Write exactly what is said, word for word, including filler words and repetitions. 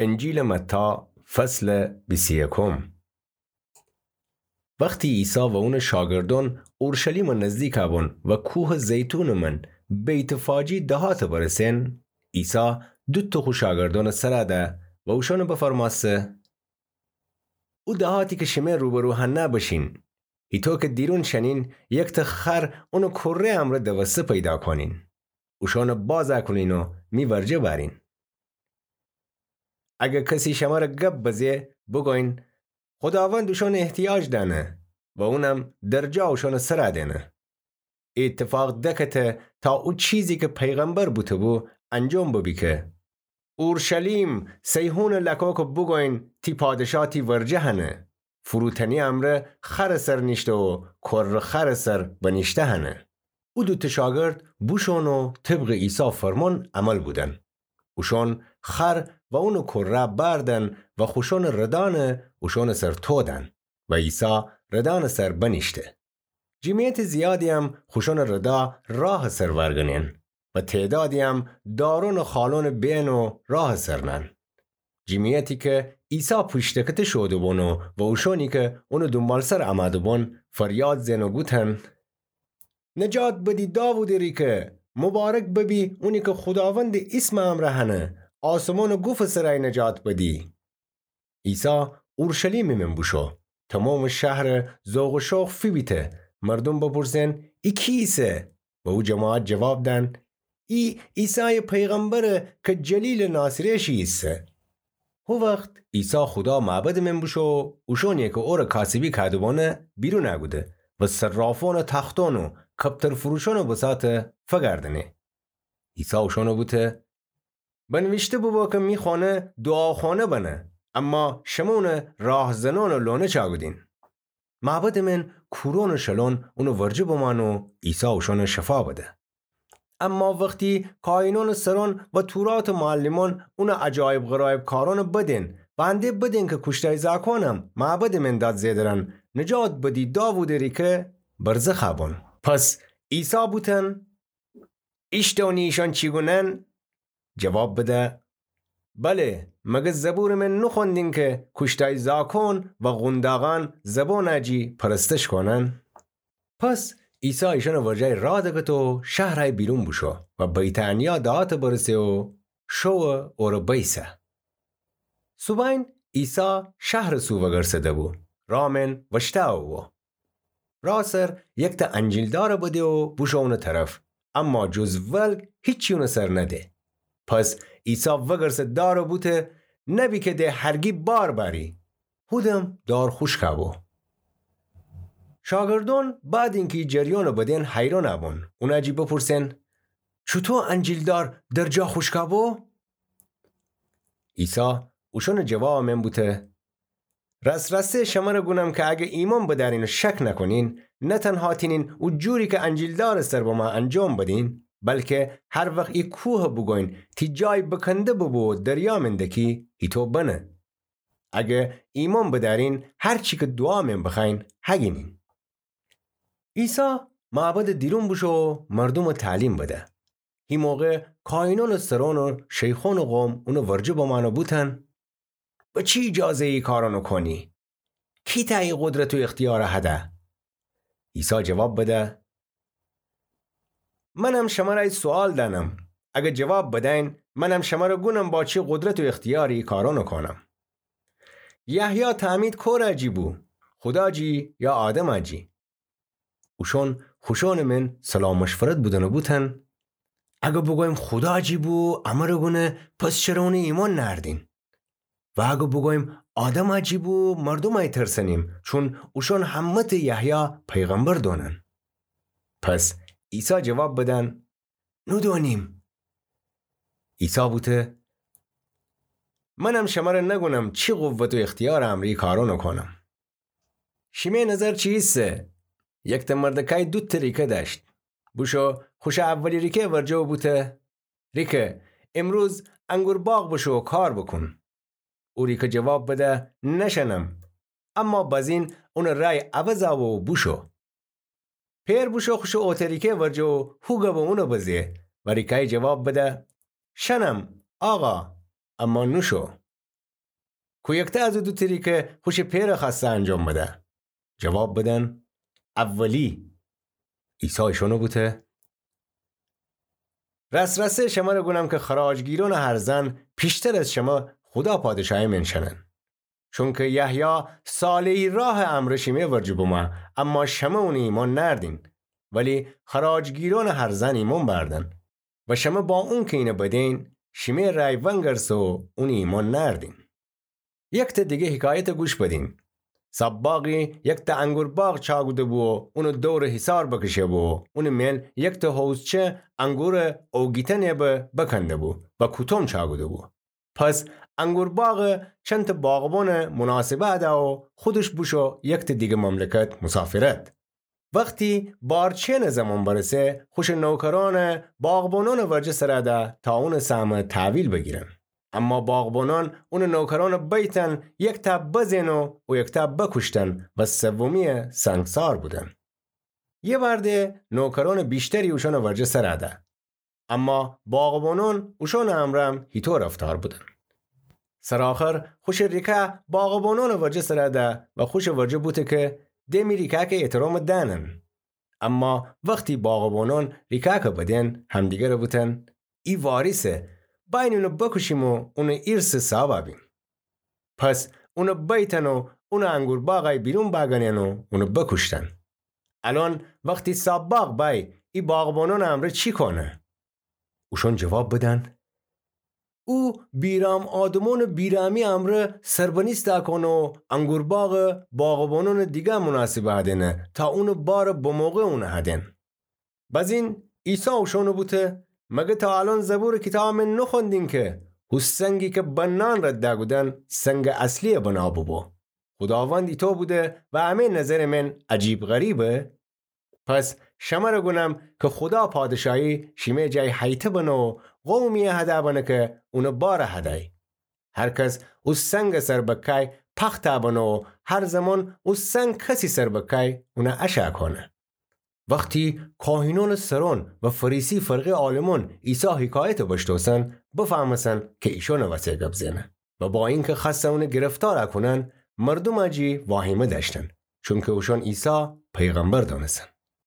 انجیلٚ متی، فصلٚ بیست و یکم. وختی عیسی و اونٚ شاگردأن اورشلیمٚ نزدیکَ بون و کوهٚ زیتونٚ من بیت‌فاجی دهاتٚ برسین، عیسی دوتأ خو شاگردأنٚ سرَ ده و اوشأنَ بفرمأسته: او دهاتی کی شمه روبرو هنه بشین. هیطو کی دیرون شنین، یکتأ خر اونٚ کره امرأ دوسته پیدا کونین. اوشأنَ بازَ کونین و می ورجه بأرین. اگر کسی شمره گب بزه، بوگوین: خوداوند اوشأنَ احتیاج دأنه و اونم درجا اوشأنٚ سرَ دئنه. ای ایتفاق دکته تا او چیزی کی پیغمبر بوته‌بو انجام ببی کی: اورشلیم، صیحونٚ لکه‌کَ بوگوین: تی پادشاه تی ورجه هنه. فروتنی امرأ خرٚ سر نیشته و کره خرٚ سر بنیشته هنه. او دوتأ شاگرد بوشون و طبقٚ عیسی فرمأن عمل بودن. اوشأن خر و اونٚ کره بأردن و خوشأنٚ ردأنَ اوشأنٚ سر تودن و عیسی ردأنٚ سر بنیشته. جمعیتٚ زیادی‌یم خوشأنٚ ردا راهٚ سر ورگنین و تعدادی‌یم دارون و خالونٚ بین و راهٚ سر نأن. جمعیتی کی عیسی پوشتکته شوده‌بون و اوشأنی کی اونٚ دونبالسر امده‌بون فریاد زئن و گوتن: نجات بدی داوودٚ ریکه! مبارک ببی اونی کی خوداوندٚ ایسمٚ امرأ هنه! آسمانٚ گوفٚ سرای نجات بدی! عیسی اورشلیمٚ من بوشو. تومامٚ شهر ذوق و شوق فیبیته. مردوم بپرسن: ای کی ایسه؟ و او جماعت جواب دأن: ای عیسایٚ پیغمبره کی جلیلٚ ناصره شی ایسه. هو وخت عیسی خودا معبدٚ من بوشو و اوشأنی کی اورَ کاسبی کوده‌بونه بیرون کوده و صرافونٚ تختون و کپترفروشونٚ بساطَ فگردنه. عیسی اوشأنَ بوته: بنویشته بوبو کی می خونه دوعاخونه بنه، اما شمه اونَ راهزنونٚ لونه چأکودین. معبدٚ من کورون و شلون اونٚ ورجه بمأن و عیسی اوشأنَ شفا بده. اما وختی کاهینونٚ سرون و توراتٚ معلمون اونٚ عجایب غرایب کارونَ بدین و انده بدین کی کوشتای زاکونم معبدٚ من داد زئدرن: نجات بدی داوودٚ ریکه، برزخَ بون. پس عیسی بوتن: ایشتونی ایشأن چی گونن؟ جواب بده: بله، مگر زبورٚ من نوخوأندین کی کوشتای زاکون و قونداغان زبونٚ جی پرستش کونن؟ پس عیسی ایشأنٚ ورجه راه دکت و شهرٚ بیرون بوشو و بیت‌عنیا دهاتٚ برسه و شوٚ اورَ بیسه. صوبأن عیسی شهرٚ سو وگرسده‌بو، راه من وشتأوبو. راه سر یکتأ انجیلدارَ بده و بوشو اونٚ طرف، اما جز ولگ هیچی اونٚ سر نده. پس عیسی وگرسه دارَ بوته: نبی کی ده هرگی بار بأری. هودم دار خوشکَ بو. شاگردون بعدٚ اینکی جریونٚ بدین حیرونَ بون، اونٚ جی بپرسن: چوطو انجیلدار درجا خوشکَ بو؟ عیسی اوشونٚ جوابٚ من بوته: راس‌راسی شمرَ گونم کی اگر ایمأن بدأرین و شک نکونین، نه تنها تینین او جوری کی انجیلدارٚ سر بمأ انجام بدین، بلکی هر وخت ای کوهَ بوگوین: تی جای بکنده ببو و دریا من دکی، هیطو بنه. اگر ایمأن بدأرین، هر چی کی دوعا من بخوأین، هگینین. عیسی معبدٚ دیرون بوشو و مردومَ تعلیم بده. هی موقع کاهینونٚ سرون و شیخونٚ قوم اونٚ ورجه بمأن و بوتن: به چی ایجازه ای کارونَ کونی؟ کی تأ ای قدرت و اختیارَ هده؟ عیسی جواب بده: منم شمرَ ای سؤال دأنم. اگر جواب بدأین، منم شمرَ گونم با چی قدرت و اختیاری ای کارونَ کونم. یحیی تعمید کورٚ جی بو؟ خودا جی یا آدمٚ جی؟ اوشون خوشونٚ من صلاح مشورت بودن و بوتن: اگر بوگویم خودا جی بو، امرَ گونه، پس چره اونَ ایمأن نأردین؟ و اگر بوگویم آدمٚ جی بو، مردومَ ترسأنیم، چون اوشون همه‌تَ یحیی پیغمبر دونن. پس عیسی جواب بدن: نودونیم. عیسی بوته: منم شمرَ نگونم چی قوت و اختیارٚ امرأ ای کارونَ کونم. شیمه نظر چی ایسه؟ یکتأ مردکای دوتأ ریکه دأشت. بوشو خوشٚ اولی ریکه ورجه و بوته: ریکه، امروز انگور باغ بوشو و کار بوکون. او ریکه جواب بده: نشأنم. اما بزین اونٚ رأی عوض بو و بوشو. پئر بوشو خوشٚ اوتٚ ریکه ورجه و هو گبَ اونَ بزه و ریکای جواب بده: شأنم، آقا، اما نوشو. کو یکته از او دوتأ ری که خوشٚ پئرٚ خوأسته انجام بده؟ جواب بدن: اولی. عیسی ایشأنَ بوته: راس‌راسی شمرَ گونم که خراجگیرأنٚ هرزأن پیشتر از شمه خودا پادشاهی مئن شأنن. چونکه یحیی صالحی راهٚ امرأ شیمه ورجه بومه، اما شمه اونٚ ایمأن نأردین. ولی خراجگیرأنٚ هرزأن ایمأن بأردن. و شمه با اونکه اینَ بدین، شیمه رأی ونگرسه و اونٚ ایمأن نأردین. یکتأ دیگه حکایتَ گوش بدین. سباقی یکتأ انگور باغ چأکوده بو و اونٚ دورَ حصار بکشه بو و اونٚ مئن یکتأ حوضچه انگورَ اوگیتأنه به بکنده بو و کوتوم چأکوده بو. پس انگور باغَ چندتأ باغبانٚ مناسبه هده و خودش بوشو یکتأ دیگه مملکت مسافرت. وختی بارچینٚ زمان برسه، خوشٚ نوکرأنَ باغبانأنٚ ورجه سر ده تا اونٚ سهمَ تحویل بگیرن. اما باغبانأن اونٚ نوکرأنَ بیتن، یکتأ بزئن و یکتأ بکوشتن و سومیَ سنگسار بودن. یه وأرده نوکرأنٚ ویشتری اوشأنٚ ورجه سر ده. اما باغبانأن اوشأنٚ امرأم هیطو رفتار بودن. سرٚ آخر خوشٚ ریکه باغبانأنٚ ورجه سر ده و خوشٚ ورجه بوته که د می ریکه‌کٚ احترامَ دأنن. اما وختی باغبانأن ریکه‌کَ بدئن، همدیگرَ بوتن: ای واریثه، بأیین اونَ بکوشیم و اونٚ ایرثٚ صاحبَ بیم. پس اونَ بیتن و اونٚ انگور باغی بیرون بأگنئن و اونَ بکوشتن. الأن وختی سباق بأی، ای باغبانأنٚ امرأ چی کونه؟ اوشأن جواب بدن: او بیرأم آدمأنٚ بیرأمی امرأ سربنیسته کونه و انگور باغَ باغبانأنٚ دیگه مناسبه هدینه تا اونٚ بارَ بموقع اونَ هدین. بزین عیسی اوشأنَ بوته: مگر تا الأن زبورٚ کیتابَ مئن نخوأندین که هو سنگی که بنان رد دأکودن سنگٚ اصلییٚ بنا بوبو؟ خوداوند ایتو بوده و امی نظرٚ مئن عجیب غریبه؟ پس شمرَ گونم که خودا پادشاهی شیمه جای هیته بنه و قومیی هده بنه که اونٚ بارَ هدی. هر کس او سنگٚ سر بکای پخته بنه و هر زمان او سنگ کسی سر بکای اونَ اشأ کونه. وختی کاهینأنٚ سرأن و فریسی فرقه‌یٚ عالمأن عیسی حکایتَ بشنوسن، بفهمسن که ایشأنٚ وسه گب زئنه. و با اینکه خوأستن اونَ گرفتار کونن، مردومَ جی واهیمه دأشتن، چونکه اوشأن عیسی پیغمبر دأنستن.